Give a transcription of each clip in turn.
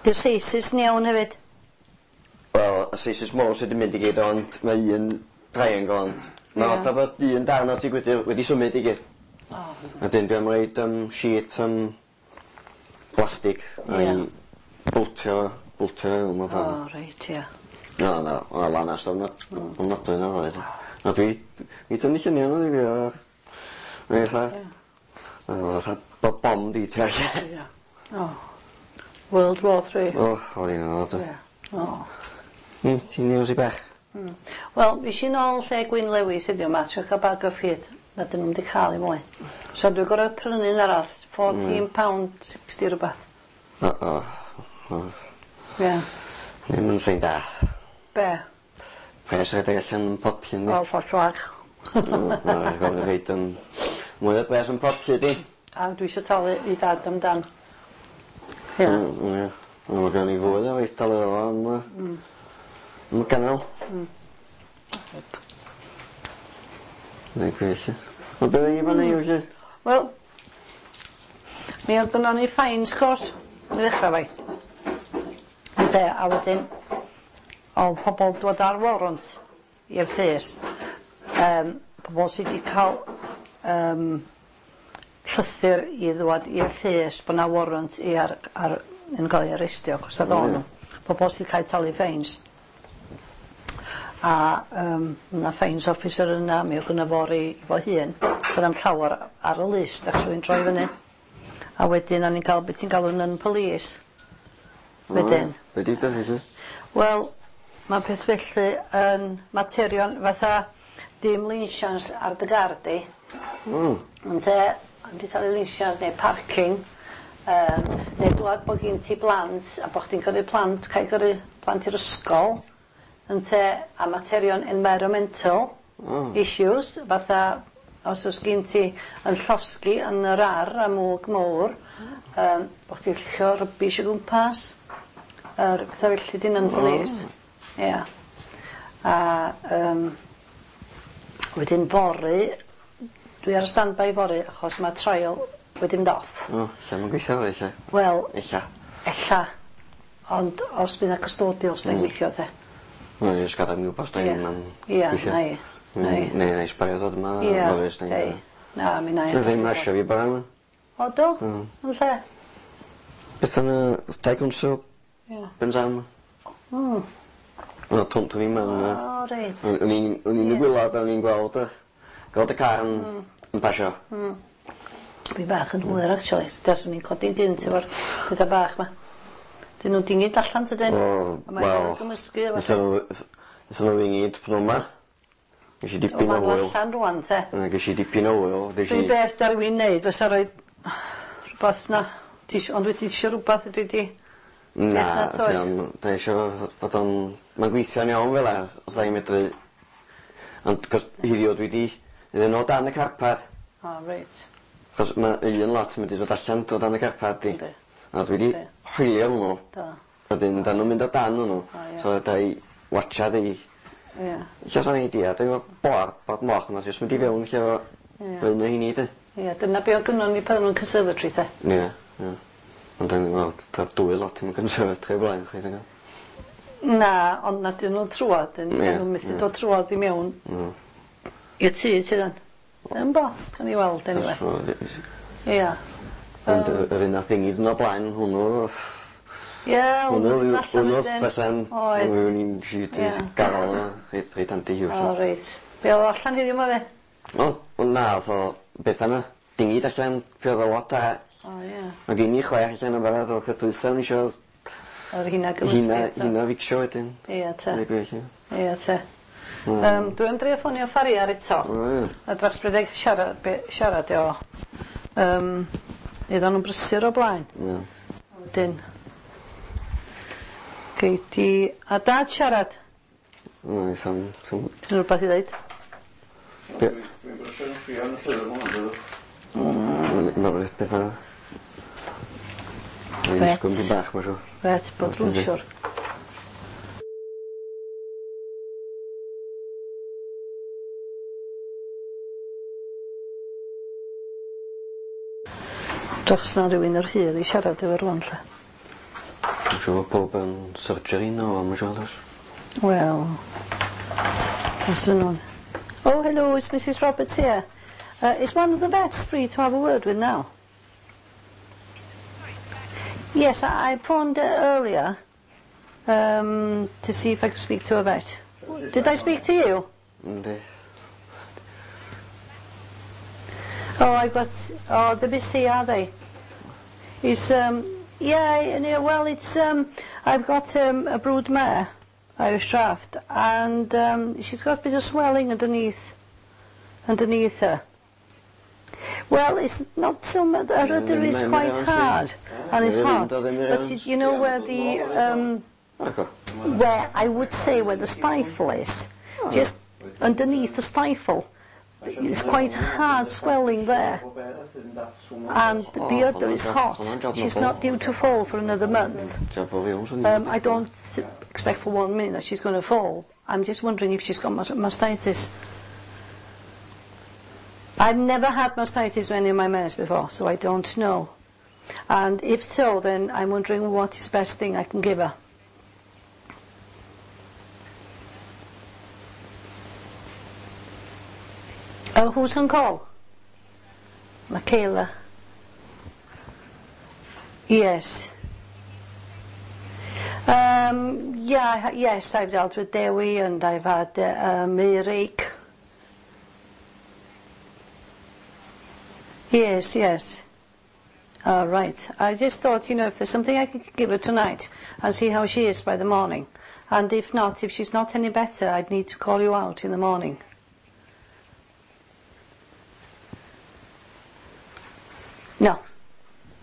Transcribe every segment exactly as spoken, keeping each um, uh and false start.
Di'r seisus yn iawn hefyd? Wel, y seisus mowr sy 'di mynd i gyd ond mae un triangle ond ma' Ie. fatha bod un darn o tŷ gwydyr wedi symud i gyd. O. A 'dyn dwi am roid yym sheet yym plastic Ie. a'i boltio boltio fewn mewn ffor. O reit ia. Na na o' 'na lanast ofna- ofnadwy 'na ddoe. A dwi i tynnu llunia' nw i fi a mae fatha Ie. o fatha bo' bom 'di tu allan. Ia. O. World War Three. O o'dd 'i'n od oedd. Ia. O. Hmm ti'n iawn rhy bach? Hmm. Wel fush i nôl lle Gwyn Lewis heddiw 'ma trio ca'l bag o feed na 'dyn nw'm 'di ca'l un mwy. So dwi gor'o' prynu un arall fourteen pound sixty rwbath. O o o. Ia. Ddim yn sein da. Be'? Pres rhedeg allan yn potyn 'di? Wel ffor fag. Na gofyn rhoid yym mwy o bres yn potyn di. A dwi isio talu i dad amdan. Ia. Mm ie. Wel ma' gynnon ni fwy o waith talu fo am yy... Hmm. Am y ganol. Hmm. Neu gwell ia. Wel be' o' 'i fan 'ny felly? Wel mi o'dd gynnon ni fines court i ddechra efo'i. Ynte a wedyn o'dd pobol dod ar warrant i'r llys yym pobol sy 'di ca'l yym llythyr i ddwad i'r llys bo' 'na warrant i ar ar yn ga'l ei arestio 'chos o'dd o'n pobol sy ca'l 'u talu feins. A yym ma' fines officer yna mi o'dd gynno fo rei fo hun do'dd na'm llawar ar y list actually'n troi fyny. A wedyn o'n i'n ca'l be' ti'n galw'n yn police. Wedyn. Be' 'di peth felly? Wel ma' peth felly yn materion fatha dim linsians ar dy gar di. Hmm. Ynte ond 'di talu linsians neu parking yym neu dwad bo' gin ti blant a bo' chdi'n gyrru plant cae gyrru plant i'r ysgol ynte a materion environmental... Hmm. ...issues fatha os o's gin ti yn llosgi yn yr ar a mwg mowr yym bo' chdi lluchio rybish o gwmpas yr petha felly 'di ynna'n police. Ia. A yym wedyn fory dwi ar standby fory achos ma' trial wedi mynd off. O ella ma'n gweithio fory 'lly. Wel... Ella. Ella. Ond os by' 'na custodial sai'n gweithio 'te. Wel jyst gadal mi wbod os 'da Ia. 'im yn Ia gweithio. nai. Nai. Neu nai sbario dod yma Ia. fory os 'da Hei. Na mi 'nai. Nath 'i'm asio fi bora 'ma. O do? Hmm. Yn lle? Beth am y dau gwnswl? Ia. Ben Sam? Hmm. Wel dwn dwn i'm yn yy... O reit. O'n o'n i'n o'n i'n y gwilod a o'n i'n gweld y gweld y car yn... Hmm. ...yn pasio. Hmm. Dwi bach yn hwyr actually taswn i'n codi'n gynt efo'r petha bach 'ma. 'Dyn nw'n dingyd allan tydyn? O A mae wel. gymysgu a Nethon nw nethon nw ddingyd pnown 'ma. Gesh i O dipyn ma' o n'w hwyl. allan rŵan te. Yy gesh i dipyn o wyl des i... Dwi beth da rywun neud fysa roid rwbath na ti isio ond wyt ti isio rwbath ydw di? Na Beth na dwi am dwi isio fod o'n ma'n gweithio'n iawn fel 'a os 'dai medru ond 'c'os heddiw dwi 'di iddyn nw dan y carpad. O reit. 'Chos ma' un lot yn mynd i dod allan do dan y carpad di. Yndi. A dwi 'di Yndi. hoelio hwnnw. Do. Wedyn 'dan nw'n mynd o dan wnnw. O ia. So 'dai watsiad i Ia. Ella sa'n idea dwi efo board bod moch ma' jyst mynd i fewn lle fo... Ia. Un o heini 'de? Ia dyna be' o' gynnon ni pan o'n nw'n conservatory 'te. Ie ie. Ond o'n i'n weld ta dwy lot yn conservatory o blaen chweith nag o? Na ond na 'dyn nw'n trwad 'dyn Ie. ma' nw'n methu ie. dod trwodd i mewn. Mm. I'r tŷ sydd yn. Yn bo? Gawn ni weld eniwe. Ia. Ond yy yr un nath ddingyd yn o blaen hwnnw Ie Hwnnw hwnnw yw allan hwnnw wedyn. allan Oedd. O'n i'n Ie. gafal o reit reit handi O reit. Be' o'dd o allan heddiw 'ma fe? O o na o'dd o beth yna dingyd allan fuodd o lot arall. O ie. Ma' gen i chwech allan yn barod o peth dwytha o'n i isio O'r rheina gymysgu Rheina eto. rheina ficsio wedyn. Ia te. Deu gwir 'lly. Ia te. Hmm. Yym dwi am drio ffonio Farrier eto. O ie. A dros bryd siarad be' siarad o. Yym oeddan nw'n brysur o blaen. Ie. Wedyn Gei di a dad siarad. Oes am swn. Ti'n rwbath i ddeud? Be'? Dwi'n brysur yn chwilio am y llyfr ma' hwn Mm. Ma' beth yna. Mae'n Reit. disgwyl dipyn bach ma' siŵr. Reit, bod dwi'n siŵr. Drychs na rywun yr hydd i siarad efo rŵan 'lly. Dwi'n siŵr bod pob yn surgery no, I'm siŵr does. Wel, os nhw'n... Oh, hello, it's Missus Roberts here. Uh, is one of the vets free to have a word with now? Yes, I, I phoned uh, earlier um, to see if I could speak to a vet. Did I speak to you? Yndi. Oh, I got... Oh, they're busy, are they? It's, um... Yeah, yeah, well, it's, um... I've got um, a brood mare, Irish Draft, and um, she's got a bit of swelling underneath, underneath her. Well, it's not so much... Her udder is quite hard, and it's hot. But it, you know where the... Um, where I would say where the stifle is, just underneath the stifle, it's quite hard swelling there, and the udder is hot. She's not due to fall for another month. Um, I don't expect for one minute that she's going to fall. I'm just wondering if she's got mastitis. I've never had mastitis with any of my mares before, so I don't know. And if so, then I'm wondering what is the best thing I can give her. Oh, who's on call? Michaela. Yes. Um, yeah, yes, I've dealt with Dewi and I've had uh, um, earache. Yes, yes. All right. I just thought, you know, if there's something I could give her tonight and see how she is by the morning. And if not, if she's not any better, I'd need to call you out in the morning. No.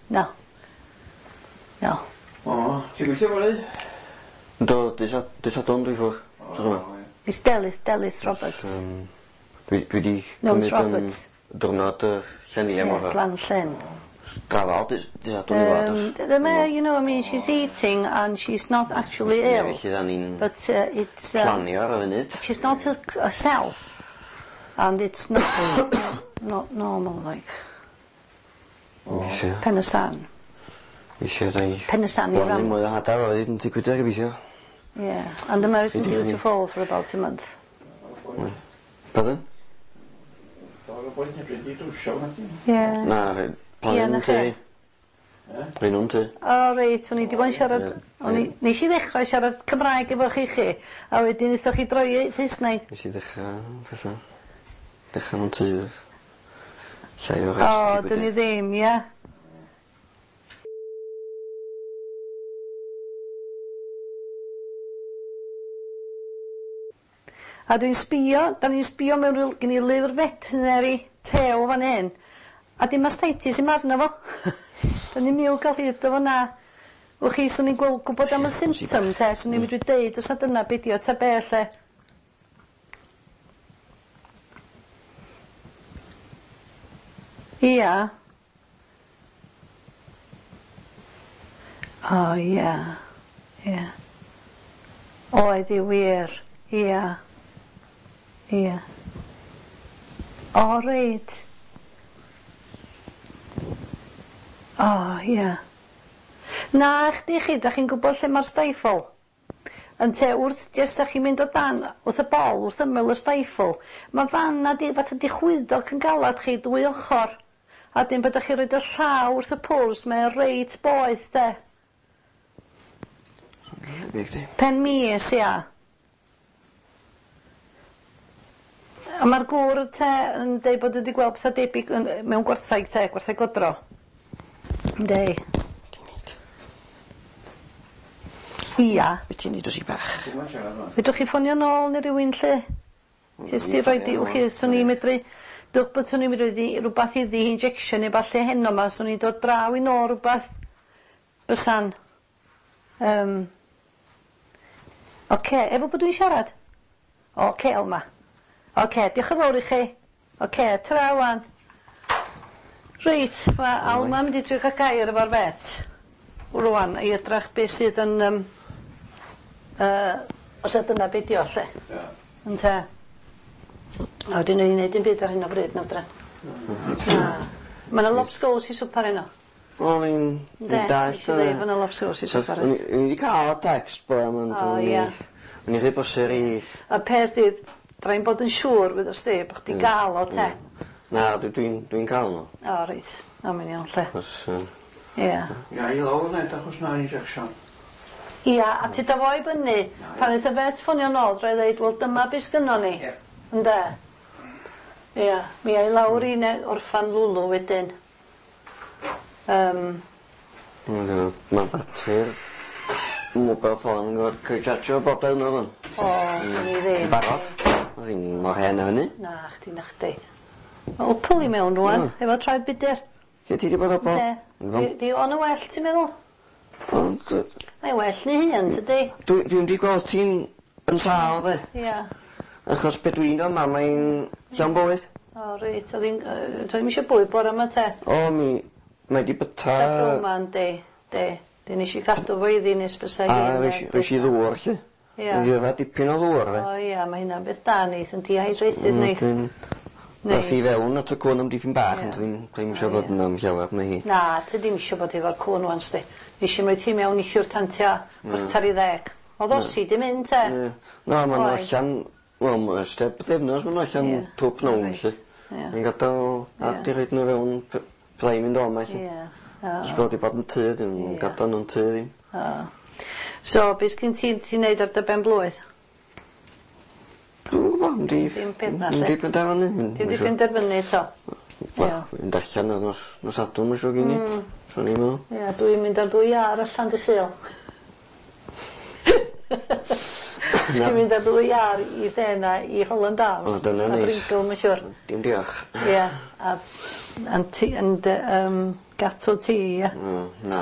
No. No. O, ti'n gweithio fory? Do, dy Sadwrn dwi ffwr. It's Delyth, Delyth Roberts. Um, dwi, dwi di No, it's Roberts. Diwrnod y llenni am Yeah, Glan Llyn. Drafal, dy Sadwrn i fod. Um, the mare, you know, I mean, she's eating and she's not actually ill. Felly da ni'n But uh, it's... Uh, planio ar y funud. she's not her, herself. And it's not, not normal, like. Weithio. Pen y San. Weithio, da ni... Pen y San i Blannu ram. mwy o hada o hyd yn tŷ gwydr gobeithio. Yeah, and the mare isn't due to fall for about a month. Pardon? Yeah. Na, plannu Ie, na nhw'n tŷ. chi. Rhoi nhw'n tŷ. O, reit, o'n i 'di bod yn siarad... O'n i... Nes i ddechrau siarad Cymraeg efo chi chi, a wedyn wnaethoch chi droi i Saesneg. Nes i ddechrau fatha... Dechrau nhw'n tŷ. Llai o rest. O, dwn i ddim, ie. A dwi'n sbio, da ni'n sbio mewn ryw, gen i lyfr veterinary tew fan hyn, a dim mastitis im arno fo. Da ni'n miw gael hyd o fo na. Wch chi, swn i'n gweld gwybod am y symptom te, swn i'n medru deud os na dyna be' di o ta be' lle. Ia. O ia. Ia. Oedd i wir. Ia. Ia. O reit. O ia. Na chdi chi, dach chi'n gwybod lle mae'r stifle? Ynte wrth jyst 'dach chi'n mynd o dan wrth y bol, wrth ymyl y stifle, ma' fan 'na di fatha di chwyddo yn galad chi dwy ochr. A dim bod chi roid y llaw wrth y pwrs, mae o reit boeth de. Pen mis, ia. A mae'r gŵr te yn deud bod wedi gweld pethau debyg yn, mewn gwartheg te, gwartheg godro. Yndi. Ia. Be ti'n neud o si bach? Fedrwch chi ffonio nôl neu rywun lle? Jyst i roid i, wch chi, swn i'n medru, dwch bod swn i'n medru i rwbath iddi, injection neu ballu heno ma, swn i'n dod draw i nôl rwbath bysan. Um, Oce, efo bod dwi'n siarad? Oce, Elma. Oce, diolch yn fawr i chi. Oce, tra wan. Reit, mae Alma yn mynd i trio cael gair efo'r vet. Rwan, i edrach beth sydd yn... Um, uh, os ydy dyna be' di o, lle. Ie. Ynte? A wedyn o'n i'n neud dim byd ar hyn o bryd, na fedra. Na. Ma' 'na lobsgows i swpar heno. O'n i'n Ynde? dallt. Nes i ddeud bo' 'na lobsgows isio fforest. O'n i 'di ca'l y text bore 'ma ond O o'n i ia. o'n i rhy brysur i... Y peth 'di 'dra i'm bod yn siŵr wyddost di bo' chdi ga'l o te. Na, dwi dwi'n dwi'n ca'l n'w. O reit. O mae'n iawn 'lly. Os yy Ia. Ia i lawr ned achos na injection. Ia, a ti fo i fyny, pan neith y vet ffonio nôl, dra i ddeud, wel dyma be sgynnon ni. Ie. Ynde? Ia, mi ai lawr i ne- orffan Lwlw wedyn. Yym. Ma' batri'r mobile phone yn gorfod ca'l 'i chargio bob diwrnod 'wan. O, wn i ddim. Barod. O'dd 'i'm mor hen â hynny. Na chdi, na chdi. Ma' Wpwl i mewn rŵan, efo traed budur. Lle ti 'di bod o bol? Te. Di, di o'n y well, ti'n meddwl? Ond yy Mae well ni hun, tydi? dwi dwi'm 'di gweld ti'n yn sâl 'de. Ia. Achos be' dwi'n yma mae'n llawn bywyd. O reit, o'dd 'i'n yy doedd 'im isio bwyd bore 'ma te. O mi mae 'di byta... Ta yma yndi, de. Di nes i gadw fo iddi nes bysa A rois i rois i ddŵr 'lly. Ia. Iddi yfad dipyn o ddŵr 'de. O ia, mae hynna'n beth da neith yn dehydrated neith. Wedyn Neith. Ath i fewn at y cwn am dipyn bach Ie. ond ddim ddim isio O, bod ie. yna am llawer mae hi. Na, ti ddim isio bod efo'r cwn ŵan sdi. Nes i roi ti mewn neithiwr tan tua chwarter i ddeg. O'dd osi 'di mynd te. Ie. Na ma' n'w Oedd. allan wel ma' ers pythefnos ma' n'w allan Ie. twp nown Reit. 'lly. Ie. Fi'n gadal a Ie. di rhoid n'w fewn p- byddai mynd o 'ma 'lly. Ie. O. Os bod 'di bod yn tŷ dim Ie. gadal nw'n tŷ ddim. O. So be' sgin ti ti neud ar dy ben blwydd? Dwi'm yn gwbo mynd i... Dim peth na, Mynd lle. i benderfynu. Ti 'di penderfynu eto? Wel, Ie. mynd allan ar nos nos Sadwrn ma' siŵr gin i. Mm. Swn i'n meddwl. Ie, dwi'n mynd ar ddwy iâr allan dy Sul. Dwi'n mynd ar ddwy iâr i lle 'na i Holland Arms. O, dyna A neis. Bringle, ma' siŵr. Dim diolch. Ie, a a'n ti yn dy yym gatw ti, ie? Mm, na,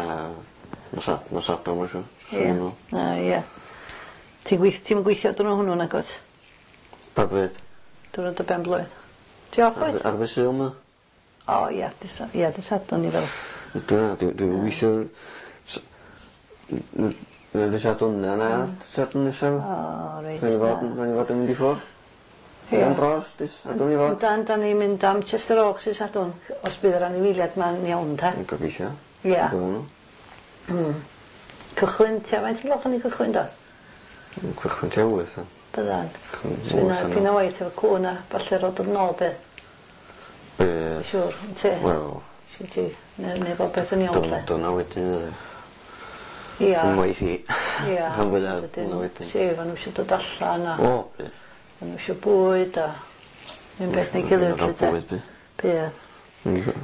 nos Sad- nos Sadwrn ma' siŵr. Swn Ie. i'n meddwl. Na, ie. Ti'n gweith- ti'm yn gweithio diwrnod hwnnw nagwt? Pa bryd? Diwrnod dy ben blwydd. Ti off Ar wyt? ar ddy Sul 'ma? O ie, dy Sa- ie, dy Sadwrn i fel. Dwi'n dwi dwi'n gweithio s- n- n- dy Sadwrn na na Sadwrn nesa. O reit. Nawn ni fod nawn ni fod yn mynd i ffwr. Ie. Am dros dy Sadwrn i fod. Dan, dan ni'n mynd am Chester Oaks i Sadwrn, os bydd yr anifeiliaid ma'n iawn ta. Yn gobeithio. Ie. Bydden nhw. Cychwyn, tua faint o gloch o'n i cychwyn do? Yn Cychwyn tua wyth. o. Byddan. Cychwyn So fydd 'na wyth dipyn o waith efo cŵn a falle rod yn ôl bydd. Bydd. Siŵr, yn ti? Wel, Siŵr ti, neu, neu bod beth yn iawn dyna lle. dyna wedyn yy, Ia. Yn waith i. Ia. Rhan fwya Wedyn, dyna wedyn. Si, ma' nhw eisiau dod allan a O, bydd. ma' nhw eisiau bwyd a un beth neu gilydd Rhan lly te. bwyd, bydd. Bydd.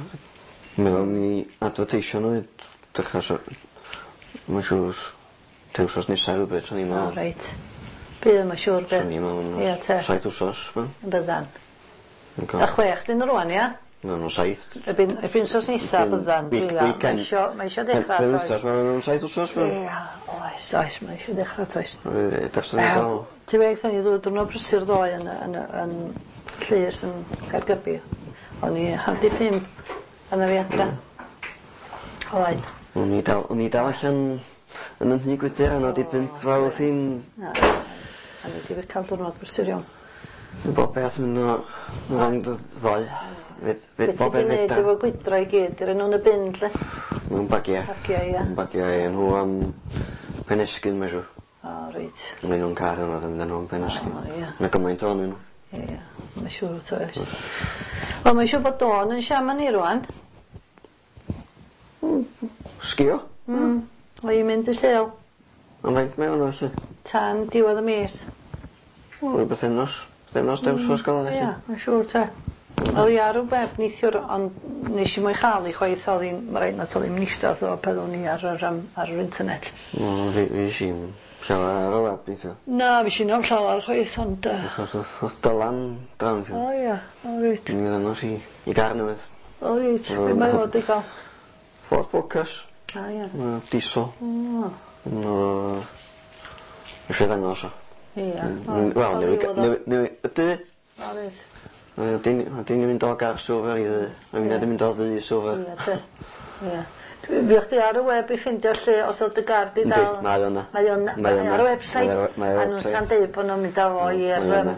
Meddwl mi advertisio nhw i dechrau so... Mae'n siŵr te wsos nesa rhywbeth, swn i'n O, meddwl. reit. Bydd, mae'n siŵr bydd. Swn i'n meddwl Ia, te. saith wsos, ma. Byddan. Yn A cael. chwech dyn nhw rŵan, ia? Ma' nhw'n saith. Erbyn, erbyn wsos nesa byddan. Week- Dwi'n dda. Mae weekend. isio, mae isio dechrau, Pen toes. wythnos, ma' nhw'n saith wsos, ma. Ia, oes, oes, mae isio dechrau, toes. Dechrau ni gael. Ti wedi ni ddod diwrnod brysur ddoe yn, yn, yn, llys yn Caergybi. O'n i hanner di pump pan fi adra. Oedd. O'n i dal, o'n i dal allan yn yn nhŷ gwydyr yna di pump fel oedd hi'n Na, a ni wedi cael diwrnod brysur iawn. bob peth yn mynd o rownd y ddoe. Fyd, Be fyd, ti bob wedi peth wneud fedra. efo gwydra i gyd? Dyn nhw'n y bin, lle? Mewn bagia. Bagia, ia. Mewn bagia, ie. Nhw am Penesgyn, mae'n siŵr. O, reit. Mae nhw'n car yna, yn mynd â nhw am Penesgyn. O, ie. Mae gymaint ohonyn nhw. Ie, mae'n siŵr to oes. Wel, mae'n siŵr bod Dawn yn siarad ni rŵan. Sgio? Mm. O, i'n mynd i sel Am faint mae hwnna, felly? tan diwedd y mis. O, ryw bythefnos. Bythefnos, mm. wsos gael Ie, felly. mae'n siŵr te. Oedd hi ar y web neithiwr, ond nes i mo'i chael i chwaith, oedd hi'n, mae rhaid na toedd hi'n eistedd o peth o'n i ar yr, um, ar yr internet. O, fi, fi i'n llawer ar y web, neithiwr. Na, fi sy'n am llawer chwaith, ond... Uh, Achos oedd oedd Dylan draw, o neithiwr. ia, o reit. Mi ddangos i, i gar newydd. O reit, be mae fod i gael? Ford Focus. A ia. Yy, Diesel. O, Yn oedd o... Eisiau ddangos o. ia. Mm, Wel, newydd... Newydd... Newydd... Ydy? O reit. Ydy ni'n mynd o gar silver i ddu. A mi'n mynd o ddu i silver. Ia, te. Ia. Dwi- Fuoch chdi ar y web i ffindio lle os oedd dy gar di Yndi, dal? mae o yna. Mae o'n Mae o yna. ar y website. Mae o- mae o ar y A nhw'n website. cael deud bod nhw'n mynd â fo i'r Mae o yym, yna.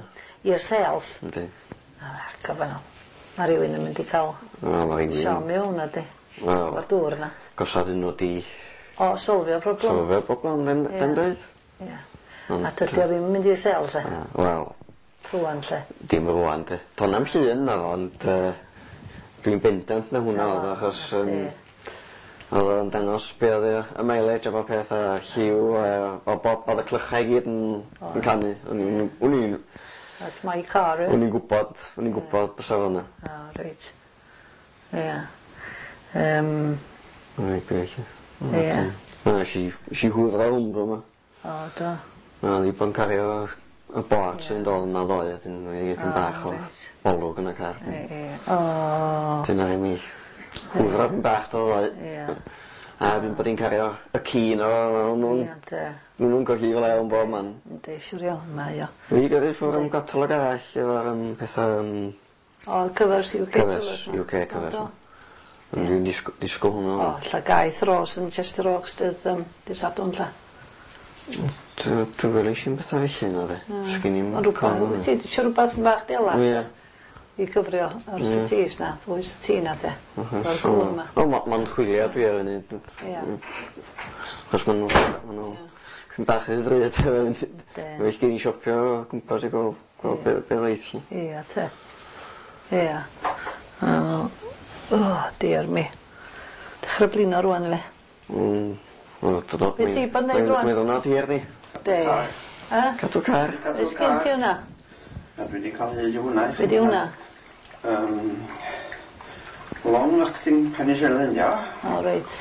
i'r sales. Yndi. Argyfynnol. Mae rhywun yn mynd i cael O, mae rhywun. siom i hwnna di. Wel. Efo'r dŵr yna. Gosod nhw di O, solfio problem. Solfio problem, ddim dim byd. Ia. A dydy o ddim yn mynd i'r sel, lle. Wel. Rwan, lle. Dim rwan, de. Do'n na'm llun na fo, ond yy dwi'n bendant na hwnna oedd o, achos yym oedd o'n dangos be' oedd y y mileage a bob peth a lliw a o bob o'dd y clychau i gyd yn yn canu. O'n i'n o'n i'n That's my car, O'n i'n gwbod o'n i'n gwbod bysa fo 'na. O reit. Ia. Yym. Reit grêt. Ia. Na nesh i nesh i hwfro hwn bro 'ma. O do. Na o'n i bod yn cario y boards yn dod yma ddoe a 'dyn o'n i dipyn bach o olwg yn y car 'dyn. Ie ie. O. Dyna i mi hwfro pyn bach do ddoe. Ia. A fi'n bod 'i'n cario y ci 'no o'n nw'n... Ia 'de. O'n nw'n colli fo lew yn bob man. Yndi siŵr iawn mae o. Fi gyrru ffwr' am catalog arall efo'r yym petha yym... O covers You Kay Covers covers. You Kay covers. O do. Ond dwi'n disgw- disgwl hwnnw. O lla gaeth Ros yn Chester Oaks dydd yym dy Sadwrn 'lla. Dwi dwi weles i'm petha felly na 'de. Sgin i'm Ond rwbath wyt ti isio rwbath bach delach? Ie. I gyfrio ar y setis 'na, ddwy seti 'na de. O'r cŵn 'ma. Wel ma' ma'n chwilio dwi ar funud. Ia. Achos ma' nw ma' nw pyn bach rhy ddrud Well gin i siopio o gwmpas i gwel' gwel' be' be' ddeith 'lly. Ia te. Ia. O o diar me. Dechra blino rŵan yfe? Mm. Wel do do. Be' ti bod neud rŵan? Meddwl na ti arni. De. Yy? Cadw car. Be' sgin ti wnna? A dwi 'di ca'l hyd i hwnna i chi. Be' 'di hwnna? Yym long acting penicillin 'di o. O reit.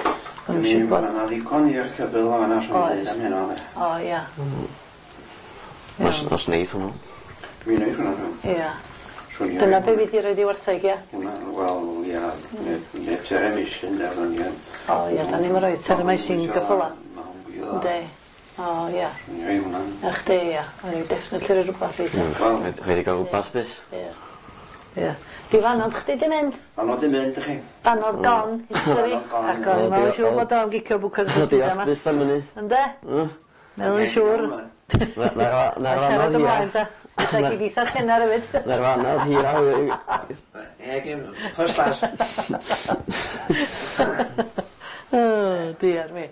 O'n Dwi i ma' gwbod. 'na ddigon i'r cyfyl o fan'na swn i'n deud am heno 'de. O ia. Os os neith hwnnw. Mi neith hwnna dwi. Ia. Swn i Dyna be' fi 'di roid i wartheg ia? Hwnna wel ia ne' ne' terramycin de o'n i yn. O ia 'dan ni'm yn roi terramycin gyffyla. Yndi. O ia. Swn i roi hwnna. Na chdi ia. O'n i definitely roi rwbath i ti. Wel. Rhaid rhaid i ga'l rwbath byth. Ia. Ia. Di fanod chdi 'di mynd? Fanod 'di mynd i chi. Banod gone history. Banod gone. Ac o'n i'n meddwl siŵr bod o'n gicio bwcas O diolch byth am hynny. Ynde? Mm. Meddwl yn siŵr. Na- Na'r na'r A siarad fanodd ymlaen hira. ta. Ella gei di eitha tenar hefyd. Na'r fanodd hira Ie gem first class. O diar mi.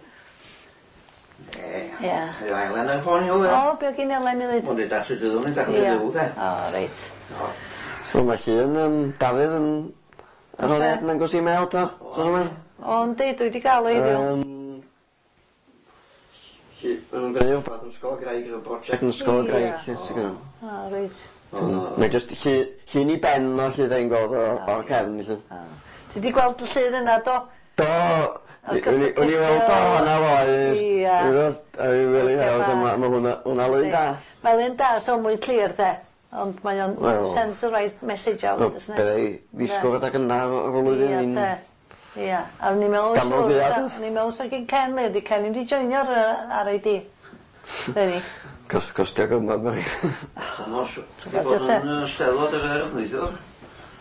Ie. Ia. Ie Elen ar ffôn i hwnna. O be' o' gin Elen i ddeud? Mae'n deud at y dydd o'n edrych yn Ia. fyw de. O reit. O. Wel ma' llun yym Dafydd yn ar ôl yn dangos i mail do. Dos yma? O yndi dwi 'di ga'l o heddiw. Yym Lly ma' nw'n gneud rwbath yn Ysgol y Graig efo broject yn Ysgol y Graig 'lly sy gynno. O reit. Mae jyst llu- llun i ben o 'lly 'dai'n gweld o o'r cefn 'lly. O. Ti 'di gweld y llun yna do? Do! Ar O'n i o'n i weld o fan'na ddoe Ia. A fi rili weld ma' ma' hwnna hwnna lun da. Mae lun da so mwy clir de. Ond mae o'n Wel. sends the right message out Wel doesn't it? bydda i ddisgwl adag yna o'r flwyddyn Ia i'n te. Ia. A o'n i'n meddwl Ganol siŵr gaeaf, sa- doedd? o'n i'n meddwl sa gin Ken le 'di Ken ddim 'di joinio'r yy R I D. Reni. Cos costio gymaint ma' Thomas, ti 'di bod yn yy Steddfod yr Urdd neithiwr?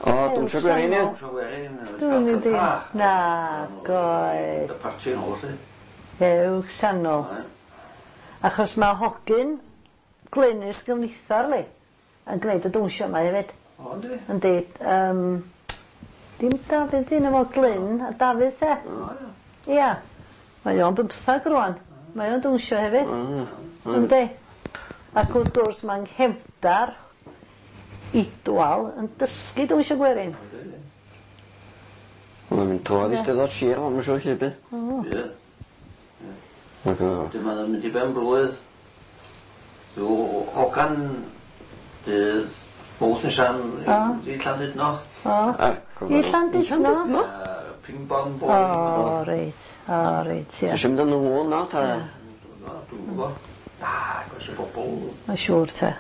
O dwnsio gwerin ia? Dawnsio gwerin. Dwi'n mynd i. Na, goed. Y parti yn ôl 'lly. Ew, sanol. Achos ma' hogyn Glynys Gymlithar li yn gneud y dwnsio 'ma hefyd. O yndi? Yndi yym dim Dafydd 'di enw fo Glyn a Dafydd 'de? O ia. Ia. Mae o'n bymthag rŵan. Mae o'n dwnsio hefyd. Yndi. Ac wrth gwrs ma'n nghefndar Idwal yn dysgu dwnsio gwerin. Mae'n mynd trwodd i Steddfod Sir ma' siŵr lle by. Ie. Ac o. Wedyn ma'n mynd i ben blwydd. Rhyw hogan dydd Mawrth nesa'n i Llandudno. O. Ac I Llandudno? Yy ping pong O bowling. reit. O reit ia. Tisio mynd â nhw na ta? Dwi'm yn gwbo. Na, gos y bobol. Mae'n siŵr te.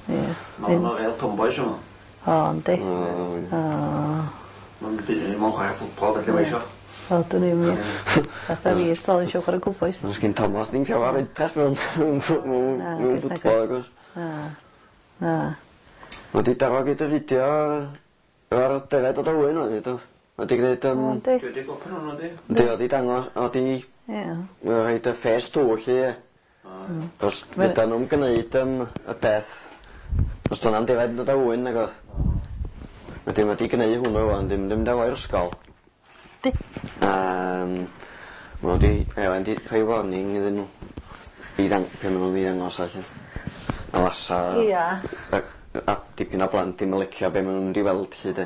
Ie. Ma' nhw'n real tomboys yma. O yndi. O. Ma'n byd mewn chwarae ffwtbol felly mae isio. O dwn i'm ie. Fatha fi ers talwm isio chwarae cowbois. Os gin Thomas ddim llawer interest mewn mewn mewn Na, mewn oes, nag ffwtbol oes. agos. Na. Na. Ma' 'di daro gyda fideo efo'r defaid o Dywyn o'n do. Ma' 'di gneud yym O yndi. Dwi wedi gorffen hwnnw di. Yndi o 'di dangos o 'di Ie. rhoid y phase two 'lly ie. Os fedran nw'm gneud yym y peth os do' na'm defaid yn dod â ŵyn nag o'dd? Wedyn ma' 'di gneud hwnnw ŵan dim dim mynd â fo i'r ysgol. Di. Um, ma' nhw 'di Elen 'di rhoi warning iddyn nhw i ddang- pe' ma' nhw'n i ddangos allan. A wasa... Ia. A, a dipyn o blant dim yn licio be' ma' nhw'n mynd i weld 'lly de.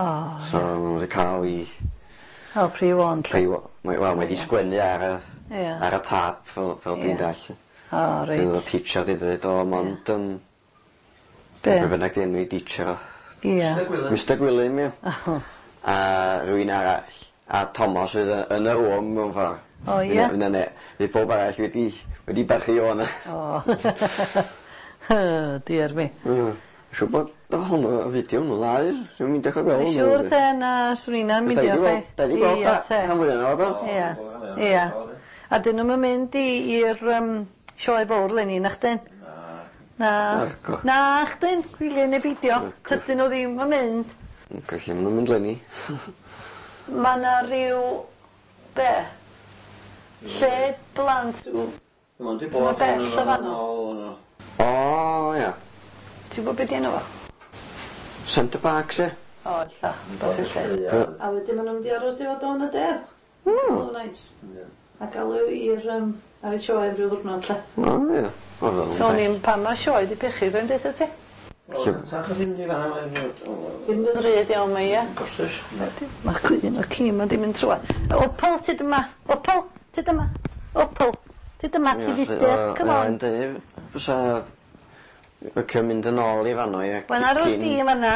O So ma' nhw wedi ca'l 'u O pre-warned. Rhei wa- mae wel mae 'di sgwennu ar y... Ia. Ar y tâp fel fel dwi'n Ia. dall'. O reit. Bydd y teacher 'di dweud o mond yym... Be'? Be' bynnag 'di enw 'i teacher o. Ia. Mister Gwilym. Mister Gwilym ia. O. A rywun arall. A Thomas oedd yy yn y room mewn ffor. O ia? Fy' 'na ne- fydd pob arall wedi wedi barchu o 'na. O. Dear me. Hmm. Siŵr bod hwnnw y fideo hwnnw dda Dwi'n mynd i gweld Dwi'n siŵr te na swn i'n mynd i'r peth. Da ni gweld da. Rhan fwya ohono fo do? Ia. Ia. A dyn nhw'm yn mynd i i'r um, sioe fawr leni nachdyn? Na. Naco. Na chdyn, gwyliau neu beidio. Tydyn nhw ddim yn mynd. Gallu ma' nhw'n mynd leni. Ma' 'na ryw be? Lle blant w- Ma'n di Ma' bod bell o fanno. O ia. Ti'n gwybod be' 'di enw fo? Centre Parcs ie? O ella, rwbath felly. A wedyn ma' nhw'n mynd i aros efo Dawn a Deb. Mm. O neis. A galw i'r um, ar y sioe ryw ddiwrnod lle. O ia. O fel So o'n i'n pan ma' sioe 'di pechu dwi'n deutha ti. Tach o ddim di fanna mae'n... Ddim yn ddrud iawn mae ia. Costus. Mae cwyn o ci ma' 'di mynd trwa. Opal tyd yma. Opal tyd yma. Opal tyd yma ti fudur. Come on. Ie, fysa licio mynd yn ôl i fanno ie. Wel aros di yn fanna.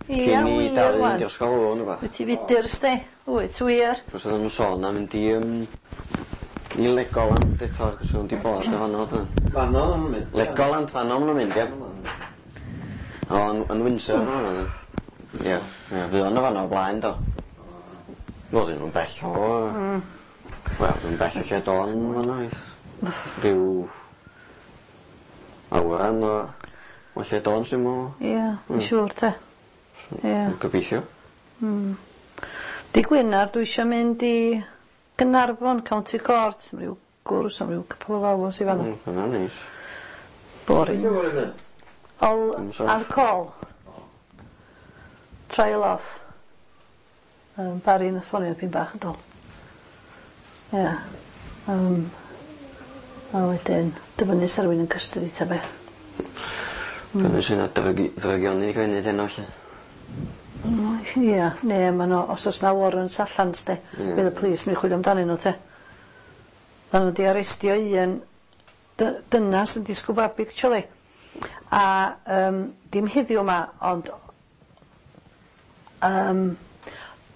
Ia Cyn i wir Dafydd wan. mynd i'r ysgol hwn rwbath. Wyt ti fudur sti? Wyt wir. Cos oedden nhw'n sôn am mynd i yym i Legoland eto achos o'n 'di bod yn fanno do? Fanno o'n nhw'n mynd. Legoland fanno ma' nhw'n mynd ie. O yn yn Windsor ma' nhw. Ie, ie fuon nhw fanno o blaen do. Wel 'dyn nhw'n bell o... Mm. Wel dwi'n bell o lle don fanno oedd. Rhyw awyran o o lle don sy'n meddwl. Ia, mm. siŵr te. Ia. Gobeithio. Di Gwener dwi isio mynd i Gaernarfon County Court am ryw gwrs am ryw couple of hours i fanno. Mm, hwnna'n neis. Boring. Dwi'n gwybod lle? All Dim sôn. ar call. Trial off. Um, Barry nath ffonio pyn bach yn dol. Ia. Um, a wedyn, dyfynnu sa rywun yn custody ta be. Dyna sy'n drygi- ddrygioni cael ei wneud heno 'lly. Mm, Ia, ne, ma' nhw, os oes na warrants allan, sti, Ie. bydd y police yn chwilio amdanyn nhw, te. Dda nhw 'di arestio un dy- dynas yn disgwyl babi, actually. A um, dim heddiw 'ma, ond um,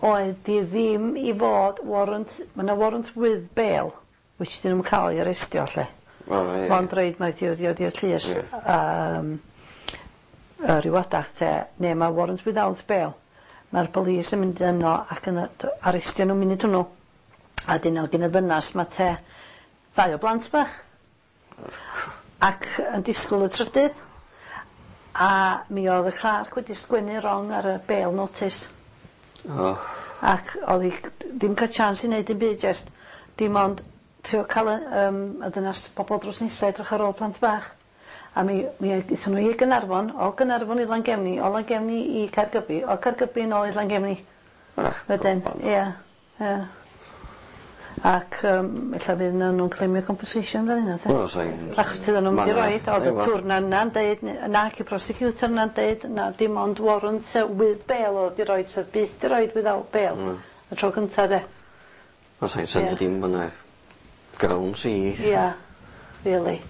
oedd di ddim i fod warrant, ma' 'na warrant with bail, which dyn nhw'n cael ei arestio, lle. O ie. Mond reid mae di wedi i'r llys Ie. um, yy ryw adag te, neu mae warrant without bail. Mae'r polis yn mynd yno ac yn yy arestio nhw munud hwnnw. A dyn nhw gen y ddynas ma te ddau o blant bach. Ac yn disgwyl y trydydd. A mi oedd y clerk wedi sgwennu wrong ar y bail notice. O. Ac oedd hi ddim cael chance i wneud dim byd just dim ond trio cael y, um, y ddynas bobl drws nesa edrych ar ôl plant bach. A mi, mi aethon nhw i Gynarfon, o Gynarfon i Langefni, o Langefni i Caergybi, o Caergybi nôl i Langefni. Ach, Wedyn, goban. ia, ia. Ac um, ella fydd nhw'n claimio compensation fel hynna, te. Wel, sa'n... Achos tydyn nhw'n mynd i roid, oedd y twrna yna'n deud, na ac y prosecutor yna'n deud, na dim ond warrant uh, with bail oedd di roid, sef byth di roid without bail. Mm. Y tro cynta de. Wel, sa'n syni Ie. dim bod 'na grounds i... Ia, really.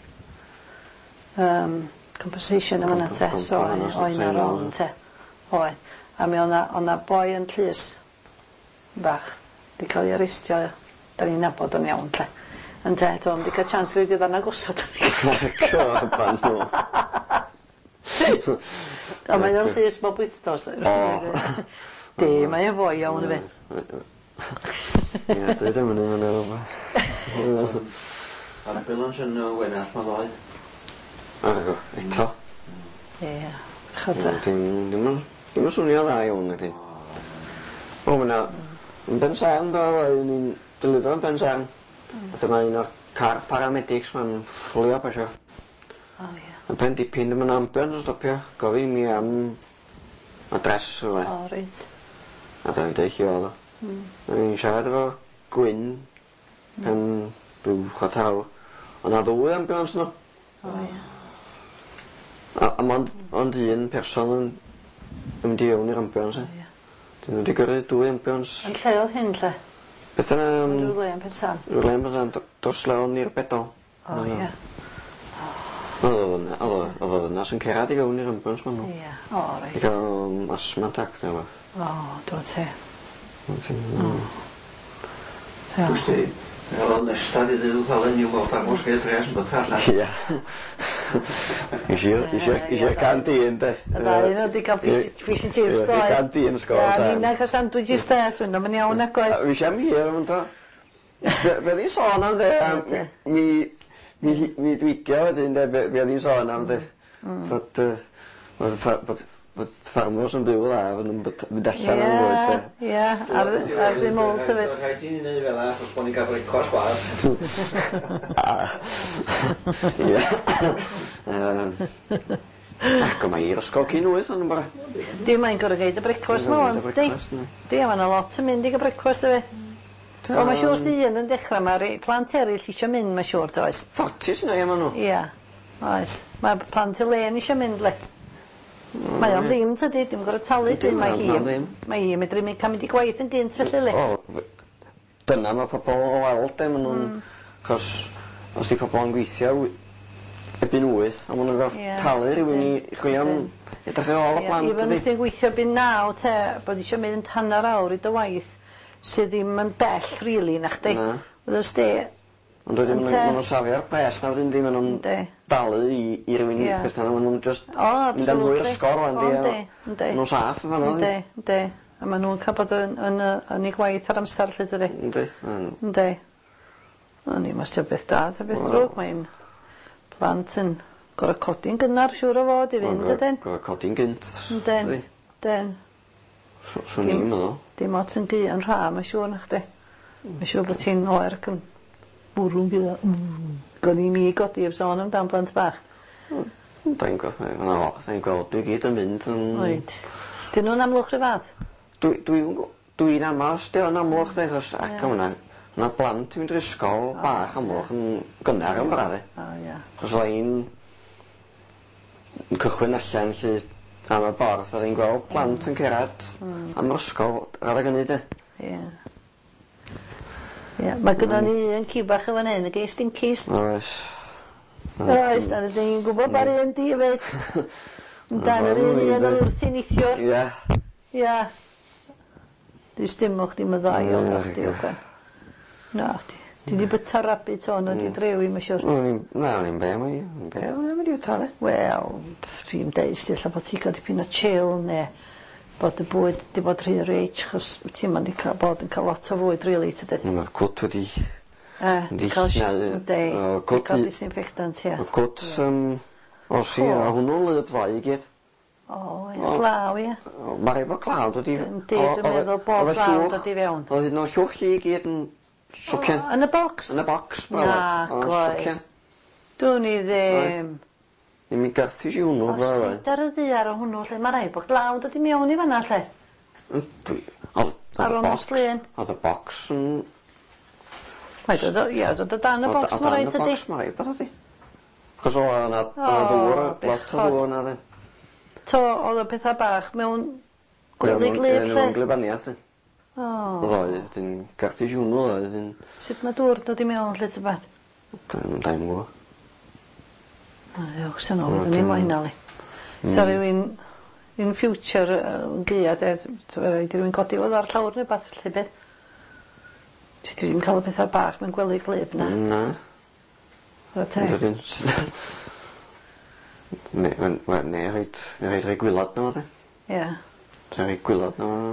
Um, compensation yma te, so oedd na wrong te. Oedd. A mi oedd na boi yn llys bach, di cael ei arestio, da ni'n nabod o'n iawn lle. Ynte, do, di cael chance rhaid i ddarna gosod. Coban nhw. A mae o'n llys bob wythnos. O. Di, mae o'n foi iawn i fi. Ie, dwi ddim yn mynd yn Ambulance yn y Wenallt ma ddoe. Argo, eto. Ie, chod te. Dim dim yn dim yn swnio dda iawn ydi. O, ma' 'na yn Pensarn do, o'n i'n delifro yn Pensarn. A dyma un o'r car paramedics ma'n fflio pasio. O ie. A pen dipyn dyma'n ambulance yn stopio, gofyn i mi am adres rhywle. O reit. A dwi'n deud lle oedd o. Mm. O'n i'n siarad efo Gwyn pan rhyw chwarter awr. O' 'na ddwy ambulance 'no. O ia. A a mond ond un person yn yn mynd i fewn i'r ambulance. O ia. 'Dyn n'w 'di gyrru dwy ambulance. Yn lle o'dd hyn 'lly? Beth yna yym... Rywle yn Pensan? Rywle yn Bensan d- dros lon i'r Bedol. O ia. O'dd o o'dd o o'dd o ddynas yn cerad i fewn i'r ambulance ma' nw. Ia. O reit. I ga'l yym asthma attack ne' wbath. O dwad te. O. Ia. Wsti, oedd o'n nestad i ddeud wrth Alun i'w weld dangos geir pres yn byta allan. Ia. Isio isio isio'r canteen de. Y ddau o' nw 'di ca'l fish fish and chips doedd? Ie, canteen scores a... Ia, ninna ca'l sandwiches de, dwi'n yn iawn nag oedd? Fi am hir am to. Be be o'n i'n sôn am de am mi mi mi dwicio wedyn de be be o'n i'n sôn am de. Bod yy bod ffa- bod bod ffarmwrs yn byw dda fod nhw'n byt- mynd allan am fwyd de. Ie, ie, ar ar ddim ôl hefyd. Rhaid i ni neud fel 'a achos bo' ni'n ca'l brecwast gwadd. Ie. Yym. Ac o mae i'r ysgol cyn wyth yn y bora. Di mae'n gor'o' gneud y brecwast 'ma ŵan tydi? Di a ma' 'na lot yn mynd i ga'l brecwast dyfi? Wel ma' siŵr os 'di un yn dechra ma' rei plant eryll isio mynd ma' siŵr does? Forty sy 'na ie ma' nhw. Ia. Oes. Ma' plant Elaine isio mynd 'li. Mae o'n ddim tydi, dim gor'o' talu dim mae hi. Mae hi medru my- ca'l mynd i gwaith yn gynt felly 'li. O dyna ma' pobol o weld de ma' nw'n achos os 'di pobol yn gweithio wy- erbyn wyth a ma' nw'n gor'o' talu rhywun i chwilio am edrych ar ôl y plant dydi? Even os ti'n gweithio erbyn naw te bod isio mynd hanner awr i dy waith sydd ddim yn bell rili nachdi? Na. Wyddost di? Ond wedyn ma' ma' nw'n safio'r pres 'na wedyn 'di ma' nw'n dalu i i rywun petha ma' nw'n jyst O mynd â nhw i'r ysgol rŵan 'di a... Yndi yndi. Ma' nw'n saff yn fan 'no. Yndi yndi. A ma' nw'n ca'l bod yn yn yy yn eu gwaith ar amsar 'lly dydi? Yndi. Yndi. O'n i'm os 'di o beth da ta beth drwg mae'n plant yn gor'o' codi'n gynnar siŵr o fod i fynd ydyn? Gor'o' codi'n gynt. Yndyn. Yndyn. Swn i'n meddwl. Dim ots yn gu yn rha ma' siŵr nachdi. Ma' siŵr bod ti'n oer ac yn bwrw'n gula. Mm. Gwn i mi godi heb sôn amdan blant bach. Dwi'n gweld dwi'n gweld dwi gyd yn mynd yn... Oed. Dyn nhw'n amlwch rhyw fath? Dwi dwi'n dwi'n ama os 'di o'n amlwch de achos ac o' 'na ma' blant yn mynd i'r ysgol bach amlwch yn gynnar yn bora de. O ia. Achos o'dd i'n yn cychwyn allan 'lly am y borth a i'n gweld plant yn cerad am yr ysgol ar adeg ynny de. Ie. Ie, ma' gynnon ni un ci bach yn fan 'yn, y gei stinkies. Oes. Oes, a rydyn ni'n gwybod ba'r un di efyd. Amdan yr un un oedd wrthi neithiwr. Ie. Ie. Dwi dim o'ch dim y ddau o'n chdi oce. Na, chdi. Ti di byta rabbit o'n wedi drewi, mae'n siwr. O'n i'n, na, o'n i'n be, o'n i'n be, o'n i'n mynd i fyta de. Wel, dwi'n deud sti, ella bod ti gael dipyn o chill, neu bod y bwyd di bod rhy rich, chos ti'n mynd i cael bod yn cael lot o fwyd, really, tydi. Mae'r cwt wedi... E, Yndi, cael na, yndi, o, cwt cael i- disinfectant, ie. Y cwt, yym, o si, a hwnnw'n lyb ddau i gyd. O, ie, glaw, ie. Mae rhaid bod glaw dod i... Yndi, dwi'n meddwl bod glaw dod i fewn. Oedd hyn o llwch i gyd yn socian. Yn y bocs? Yn y bocs, Na, gwae. Socian. Dwn i ddim. Ddim i garthu si hwnnw, O, sut ar y ddaear o hwnnw, lle mae rhaid bod glaw dod i mewn i fan'na, lle. Dwi... Oedd Ar y ôl nos bocs... Lun. Oedd y bocs yn... Mae dod o, ie, dod o dan y bocs, O mae dan rhaid y ydi. bocs, mae rhaid bod ydi. Achos o, o'na o'na ddŵr, lot o ddŵr yna, de. To, oedd y pethau bach mewn gwely glib, lle. Mewn glibaniaeth, de. O. Ddoe, dyn garthu si hwnnw, ddoe, dyn... Sut mae dŵr dod i mewn, lle tybad? Dwi'n dwi'n gwybod. O, ddiolch sy'n ôl, dyn ni mo hynna, li. Sa rhywun in future yn gaea, de, rhaid i rhywun godi fo ar llawr neu beth, felly beth. Ti ddim cael y pethau bach mewn gwely glib, na? Na. Chwarae teg. Ne, wel, ne, rhaid, rhaid rhoi gwylod na fo, de. Ie. Rhaid rhoi gwylod na fo.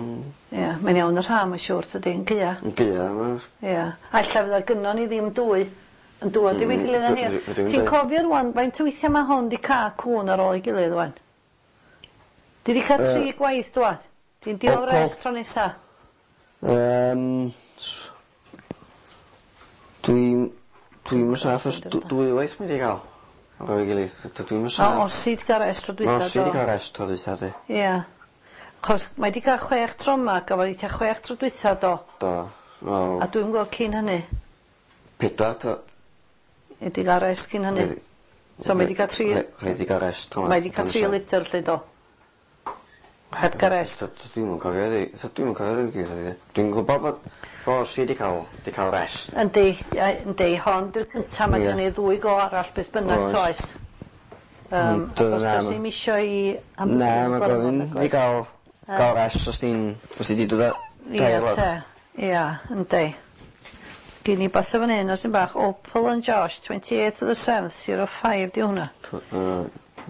Ie, mae'n iawn yr ha, mae'n siŵr, tydi, yn gaea. Yn gaea, ma. Ie. A ella fydda gynnon ni ddim dwy yn dŵad i gilydd yn hir. Ti'n cofio rwan, faint o weithiau mae hwn di cael cŵn ar ôl ei gilydd rwan? Di di cael tri gwaith dwad? Di'n diolch res tro nesa? Yym... Dwi'n... Dwi'n yn saff os dwy waith mae di gael. Ar ôl ei gilydd. Dwi'n yn saff. O, osi di gael rest tro dwytha. Osi di gael rest tro dwytha, di. Ie. Chos mae 'di cael chwech tro 'ma, gafodd 'i tua chwech tro dwytha do? Do. Wel... A dwi'm gweld cyn hynny. Pedwar tro. Mae 'di ga'l rest cyn hynny. So mae 'di ca'l tri... Rhaid 'di ga'l rest tro 'ma. Mae 'di ca'l tri lityr 'lly do? Heb ga'l rest. Dwi'm yn cofio iddi dwi'm yn cofio iddi gyd Dwi'n gwbo bod bo si 'di ca'l 'di ca'l rest. Yndi ie yndi hon 'di'r cynta ma' gen i ddwy go arall beth bynnag toes? Yym achos do's 'im isio i... Na ma' gofyn i ga'l ga'l rest os ti'n os ti 'di dod â Ia te. Ia yndi. Gin i batha fan 'yn os yn bach Opal and Josh twenty eight of the seventh zero five 'di hwnna.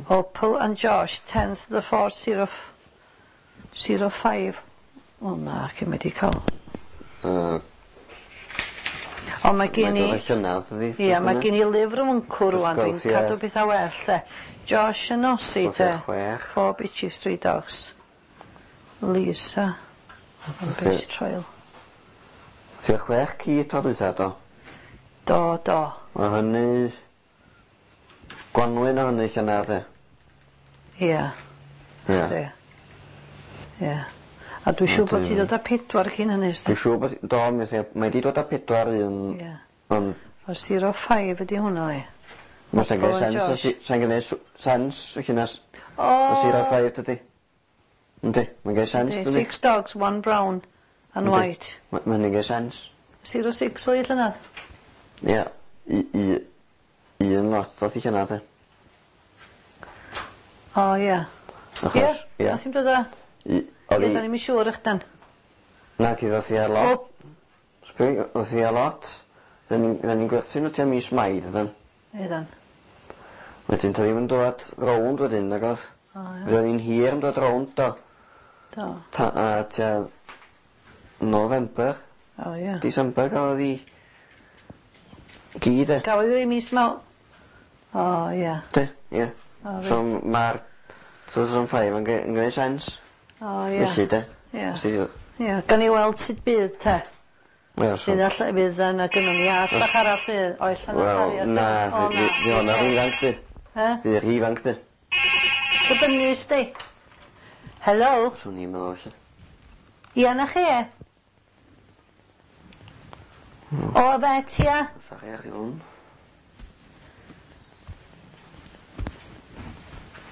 Opal and Josh tenth of the fourth zero zero five. O na, cyn wedi ca'l. Yy. On' mae gen i... Mae'n dod â llynadd ydi? Ia mae gen i lyfr mwncw rŵan dwi'n cadw petha well 'de. Josh and Ossie te. Chwech. Four bitches three dogs. Lisa. On bench trial. Tua chwech ci tro dwytha do? Do do. Ma' hynny Gwanwyn o hynny llynadd de? Ia. Ia. Yndi. Ia. A dwi siŵr bod ti dod â pedwar cyn hynny sdi? Dwi siŵr bod do mi mae 'di dod â pedwar un... Ia. On'... O zero five ydi hwnna i. Ma' sa'n gneud sense os i sa'n gneud sw- sense felly nas... O! Zero five dydi? Yndi mae'n gneud sense dydi? Six dogs one brown and white. Ma' ma' hynny'n gneud sense. Zero six oedd hi llynadd? Ia u- u- un lot ddoth i llynadd de. O ia. Achos Ia? ia. Nath hi'm dod â... I- o'dd Ie 'i... 'dan ni'm yn siŵr ychdan. Naci ddoth hi â lot. O! Sbri ddoth hi â lot. 'Dyn ni'n 'dyn ni'n gwerthu n'w tua mis Mai dyddan? Oeddan. Wedyn do'dd 'i'm yn dwad rownd wedyn nag o'dd? O ia. Fuodd 'i'n hir yn dod rownd do? Do. Ta- a tua November. O ia. December gafodd 'i gi 'de? Gafodd 'i mis Maw- O ia. De? Ie. O reit. So ma'r two thousand five yn ge- yn gneud sense. O ia. Felly 'de? Ia. Os ti 'di Ia gawn ni weld sut bydd te. Ie so... Fydd alla fydd yna gynnon ni as bach arall fydd o ella na Wel na O fy- fy- fydd honna ry ifanc by'. He? Fydd rhy ifanc by'. Dibynnu sti. Helo? Swn i'n meddwl felly. Ia 'na chi. Hmm. O fet ia? Sori ar hwn.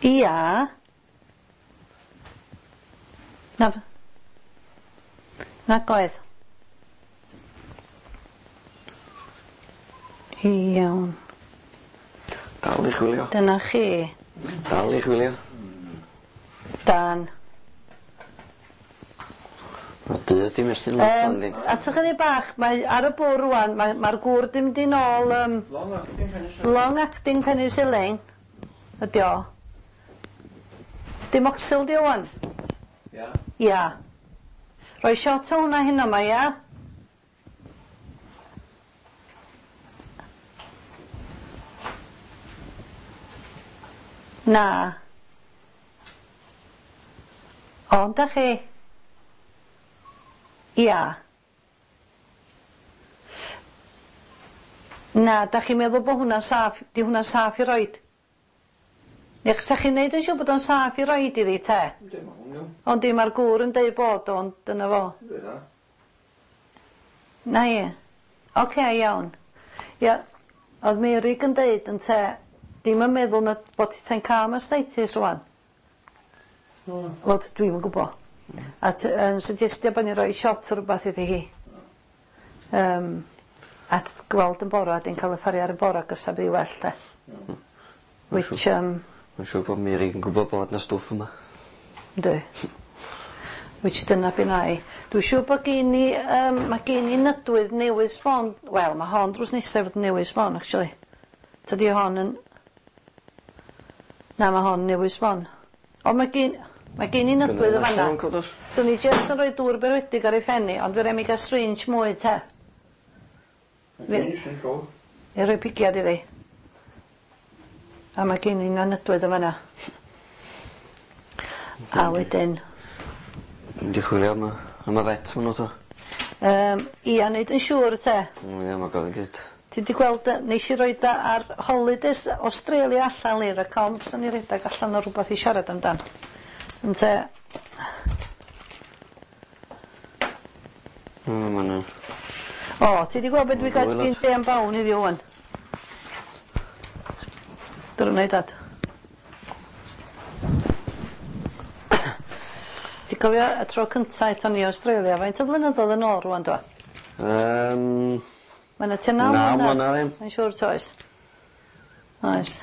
Ia. Na. Nag oedd. Iawn. Dal i chwilio. Dyna chi. Dal i chwilio. Dan. Ma' dydd 'di mestyn lot Yym yndi? a so chydig bach mae ar y bwr rŵan mae ma'r gŵr 'di mynd i nôl yym Long acting penicillin. Long acting penicillin ydi o. Dim oxyl 'di o ŵan? Ia. Ia. Rhoi shot o hwnna heno 'ma ia? Na. O yndach chi? Ia. Na, dach chi'n meddwl bo' hwnna'n saff, 'di hwnna'n saff i roid? Neu 'sa chi'n neud yn siŵr bod o'n saff i roid iddi te? Yndi ma' hwn iawn. Ond di ma'r gŵr yn deud bod o ond dyna fo. Yndi da. Na i. Oce iawn. Ia, oedd Meurig yn deud ynte, dim yn meddwl na bod ti'n ca'l mastitis rŵan. Wel dwi'm yn gwbo. A t- yn suggestio bo' ni roi shot o rwbath iddi hi. Yym a t- gweld yn bora di'n ca'l y ffaria ar y bora gysa bydd 'i well de. Which yym Mae'n siŵr bod Mary yn gwybod bod 'na stwff yma. Yndi. Which dyna be' nai. Dwi siŵr bod gin i yym ma' gin i nydwydd newydd sbon wel ma' hon drws nesa i fod yn newydd sbon actually. Tydi hon yn Na ma' hon newydd sbon. On' ma' gin ma' gin i nydwydd yn fan 'na. So ni jyst yn rhoi dŵr berwedig ar ei phen 'i ond fy' rai' mi ga'l syringe mwy te. I roi pigiad iddi. A ma' gin i nydwydd yn fan 'na. A wedyn Mynd i chwilio am y am y vet ma' nw 'to. Yym ia neud yn siŵr te. O ia ma' gofyn gyd. Ti 'di gweld yy nesh i roid o ar holidays Australia allan lir y comps o'n i redag allan o rwbath i siarad amdan. Ynte O, ma' 'na. O, ti 'di gweld be' dwi ga'l gin J M Bown heddiw ŵan? Dyna i dad. Ti cofio y tro cynta aethon ni i Australia, faint o flynyddodd yn ôl rŵan dwa? Yym. Ma' 'na tua naw Naw mlynadd. mlynadd ie. Mae'n siŵr toes? Oes.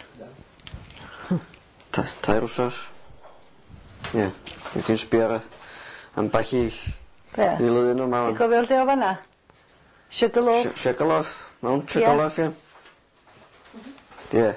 Ta- tair wsos. Ie. Wyt ti'n sbio ar y ambell i Be? i lun yma Ti'n ŵan. cofio lle o fanna? Sugarloaf. Su- Sugarloaf. Mount Sugarloaf ie. Ie.